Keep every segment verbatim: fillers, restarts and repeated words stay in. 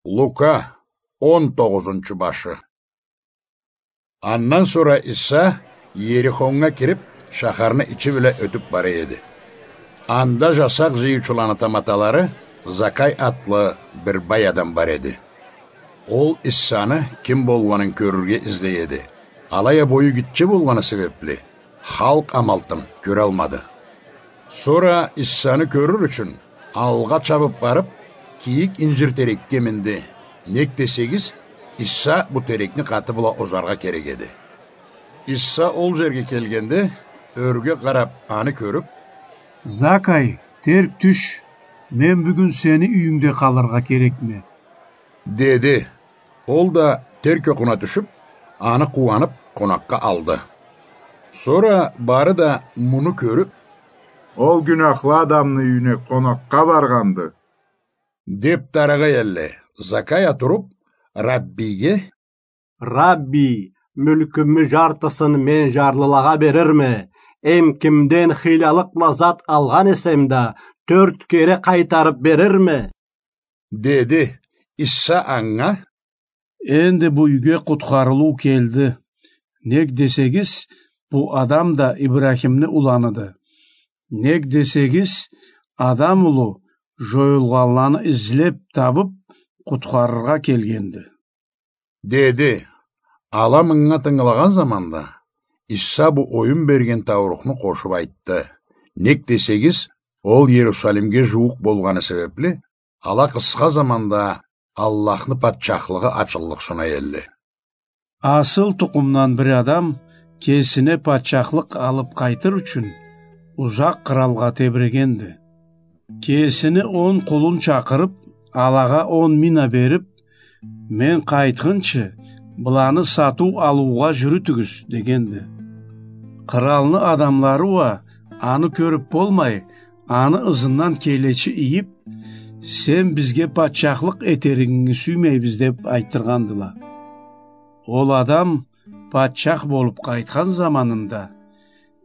Лука, он тогъузунчу башы. Андан сора Иса Иерихоннга кирип, шахарны ичи бла ётюп бара эди. Анда жасакъ жыйыучуланы таматалары Закай атлы бир бай адам бар эди. Ол Исаны ким болгъанын кёрюрге излей эди. Алай а бою гитче болгъаны себепли, халкъ амалтын кёралмады. Сора Исаны кёрюр ючюн, алгъа чабып барып, кийик инжир терекге минди. Нек десегиз, Иса бу терекни къаты бла озаргъа керек эди. Иса ол жерге келгенде, ёрге къарап, аны кёрюп: «Закай, терк тюш, мен бюгюн сени юйюнгде къалыргъа керекме», — деди. Ол да терк окъуна тюшюп, аны къууанып, къонакъгъа алды. Сора бары да муну кёрюп: «Ол гюнахлы адамны юйюне къонакъгъа баргъанды», — деп дарагъа элле. Закай а туруп, Раббийге: «Раббий, мюлкюмю жартысын мен жарлылагъа берирме, эм кимден хыйлалыкъ бла зат алгъан эсем да, тёрт кере къайтарып берирме», — деди. Иса анга: «Энди бу юйге къутхарылыу келди. Нек десегиз, бу адам да Ибрахимни уланыды. Нек десегиз, Адам улу жоюлгъанланы излеп табып, къутхарыргъа келгенди», — деди. Ала мынга тынгылагъан заманда, Иса бу оюн берген таурухну къошуп айтды. Нек десегиз, ол Иерусалимге жууукъ болгъаны себепли, ала къысха заманда Аллахны патчахлыгъы ачыллыкъ сунай элле. Асыл тукъумдан бир адам кесине патчахлыкъ алып къайтыр ючюн узакъ къыралгъа тебирегенди. Кесини он къулун чакъырып, алагъа он мина берип: «Мен къайтхынчы, быланы сатыу-алыугъа жюрютюгюз», — дегенди. Къыралны адамлары уа, аны кёрюп болмай, аны ызындан келечи ийип: «Сен бизге патчахлыкъ этеригинги сюймейбиз», — деп айтдыргъандыла. Ол адам патчах болуп къайтхан заманында,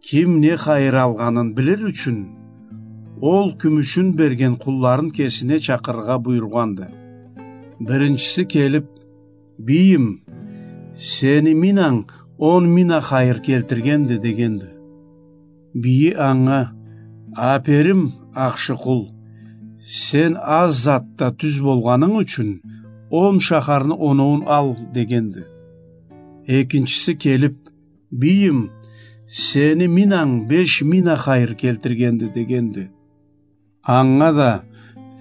ким не хайыр алгъанын билир ючюн, ол кюмюшюн берген къулларын кесине чакъырыргъа буюргъанды. Биринчиси келип: «Бийим, сени минанг он мина хайыр келтиргенди», — дегенди. Бийи анга: «Аперим, ахшы къул, сен аз затда тюз болгъанынг ючюн он шахарны оноуун ал», — дегенди. Экинчиси келип: «Бийим, сени минанг беш мина хайыр келтиргенди», — дегенди. Анга да: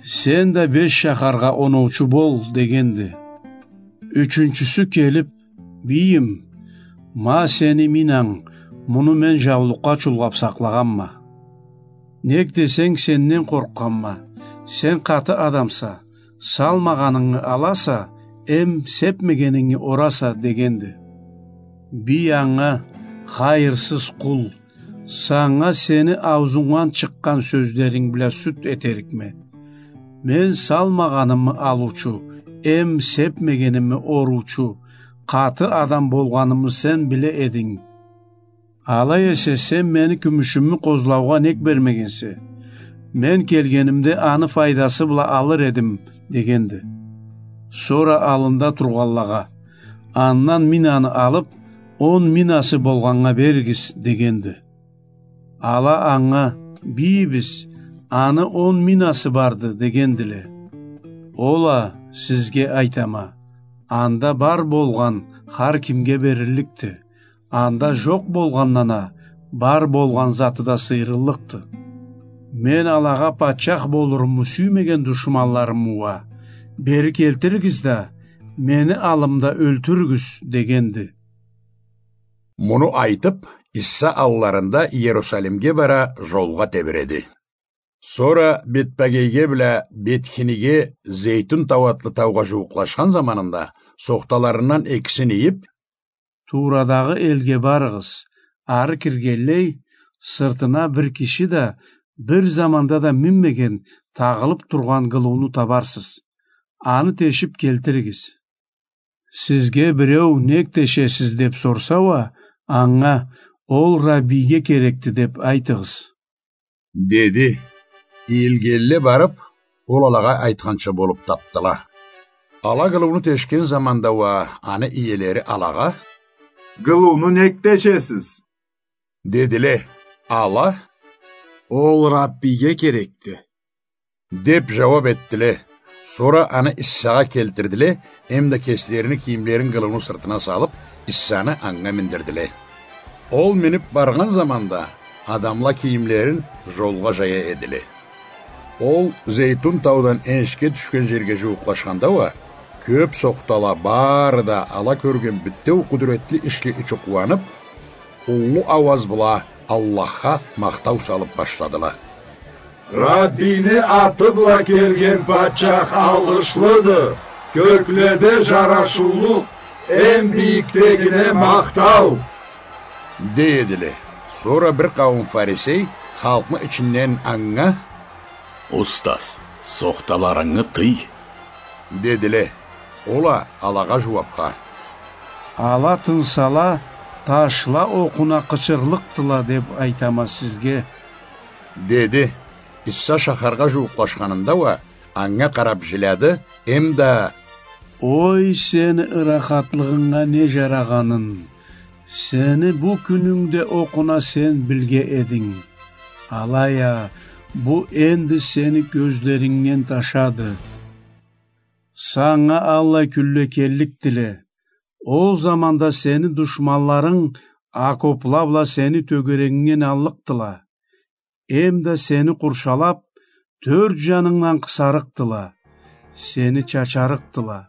«Сен да беш шахаргъа оноучу бол», — дегенди. Ючюнчюсю келип: «Бийим, ма сени минанг, муну мен жаулукъгъа чулгъап сакълагъанма. Нек десенг, сенден къоркъгъанма, сен къаты адамса, салмагъанынгы аласа, эм сепмегенинги ораса», — дегенди. Бий анга: «Хайырсыз къул, санга сени аузунгдан чыкъгъан сёзлеринг бла сюд этерикме. Мен салмагъанымы алыучу, эм сепмегеними оруучу, къаты адам болгъанымы сен биле эдинг. Алай эсе, сен мени кюмюшюмю къозлаугъа нек бермегенсе? Мен келгенимде, аны файдасы бла алыр эдим», — дегенди. Сора аллында тургъанлагъа: «Андан минаны алып, он минасы болгъаннга беригиз», — дегенди. Ала анга: «Бийибиз, аны он минасы барды», — дегендиле. Ол а: «Сизге айтама, анда бар болгъан хар кимге берилликди, анда жокъ болгъандан а бар болгъан заты да сыйырыллыкъды. Мен алагъа патчах болуруму сюймеген душманларымы уа бери келтиригиз да, мени аллымда ёлтюрюгюз», — дегенди. Муну айтып, Иса алларында Иерусалимге бара, жолгъа тебиреди. Сора Бетпагейге бла Бетхиниге, Зейтюн тау атлы таугъа жууукълашхан заманында, сохталарындан экисин ийип: «Турадагъы элге барыгъыз, ары киргенлей, сыртына бир киши да бир заманда да минмеген, тагъылып тургъан гылыуну табарсыз. Аны тешип келтиригиз. Сизге биреу: „Нек тешесиз?“ деп сорса уа, анга: „Ол Раббийге керекди“, деп айтыгъыз», — деди. Ийилгенле барып, ол алагъа айтханча болуп тапдыла. Ала къылыуну тешген заманда уа аны иелери алагъа: «Къылыуну нек тешесиз?» — дедиле. Ала: «Ол Раббиге керекди», — деп жууап этдиле. Сора аны Иссагъа келтирдиле, эмда кеслерини кийимлерин къылыуну сыртына салып, Иссаны анга миндирдиле. Ол минип баргъан заманда адамла кийимлерин жолгъа жая эдиле. Ол Зейтун таудан энишге тюшген жерге жууукълашханда уа, кёп сохтала бары да ала кёрген битеу къудуретли ишге ичи къууанып, уллу ауаз бла Аллахха махтау салып башладыла: «Раббини аты бла келген патчах алгъышлыды, кёкледе жарашыулукъ, эм бийикдегине махтау!» — дей эдиле. Сора бир къауум фарисей халкъны ичинден анга: «Устаз, сохталарынгы тый!» — дедиле. Ол а алагъа жууапха: «Ала тынсала, ташла окъуна къычырлыкъдыла деп айтама сизге», — деди. Исса шахаргъа жууукълашханында уа анга къарап жиляды, эмда: «Ой, сени ырахатлыгъынга не жарагъанын! Сени бу кюнюнгде окъуна сен билге эдинг. Алай а бу энди сени кёзлерингден ташады. Санга аллай кюнле келликдиле. Ол заманда сени душманларынг окопла бла сени тёгерегингден аллыкъдыла. Эмда сени къуршалап, тёрт жанынгдан къысарыкъдыла, сени чачарыкъдыла,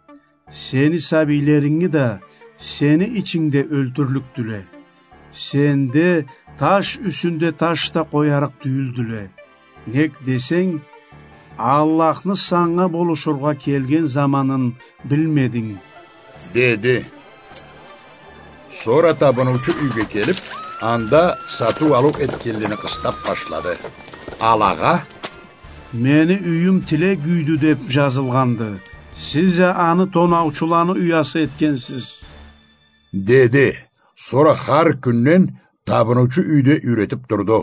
сени сабийлеринги да сени ичингде ёлтюрлюкдюле. Сенде таш юсюнде таш да къоярыкъ тюйюлдюле. Нек десенг, Аллахны санга болушургъа келген заманын билмединг», — деди. Сора табыныучу юйге келип, анда сатыу-алыу этгенлени къыстап башлады. Алагъа: «Мени юйюм тилек юйдю деп жазылгъанды. Сиз а аны тонаучуланы уясы этгенсиз», — деди. Сора хар кюнден табыныучу юйде юйретип турду.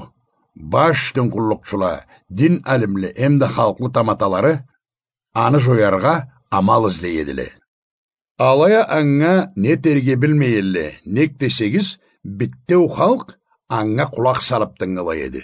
Баш дин къуллукъчула, дин алимле эмда халкъны таматалары аны жояргъа амал излей эдиле. Алай а анга не этерге билмей эдиле, нек десегиз, битеу халкъ анга къулакъ салып тынгылай эди.